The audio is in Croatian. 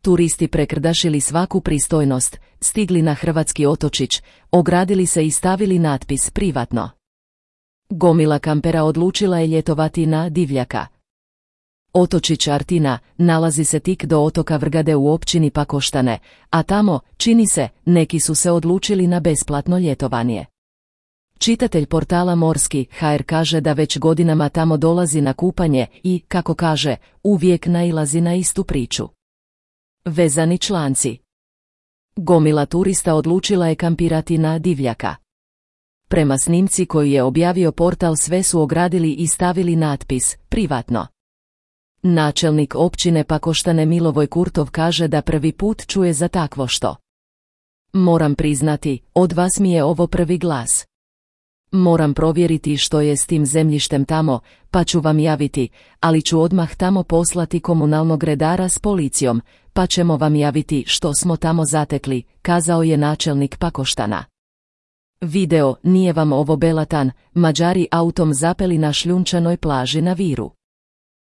Turisti prekrdašili svaku pristojnost, stigli na hrvatski otočić, ogradili se i stavili natpis privatno. Gomila kampera odlučila je ljetovati na Divljaka. Otočić Artina nalazi se tik do otoka Vrgade u općini Pakoštane, a tamo, čini se, neki su se odlučili na besplatno ljetovanje. Čitatelj portala Morski.hr kaže da već godinama tamo dolazi na kupanje i, kako kaže, uvijek nailazi na istu priču. Vezani članci. Gomila turista odlučila je kampirati na Divljaka. Prema snimci koju je objavio portal sve su ogradili i stavili natpis privatno. Načelnik općine Pakoštane Milovoj Kurtov kaže da prvi put čuje za takvo što. Moram priznati, od vas mi je ovo prvi glas. Moram provjeriti što je s tim zemljištem tamo, pa ću vam javiti, ali ću odmah tamo poslati komunalnog redara s policijom, pa ćemo vam javiti što smo tamo zatekli, kazao je načelnik Pakoštana. Video, nije vam ovo belatan, Mađari autom zapeli na šljunčanoj plaži na Viru.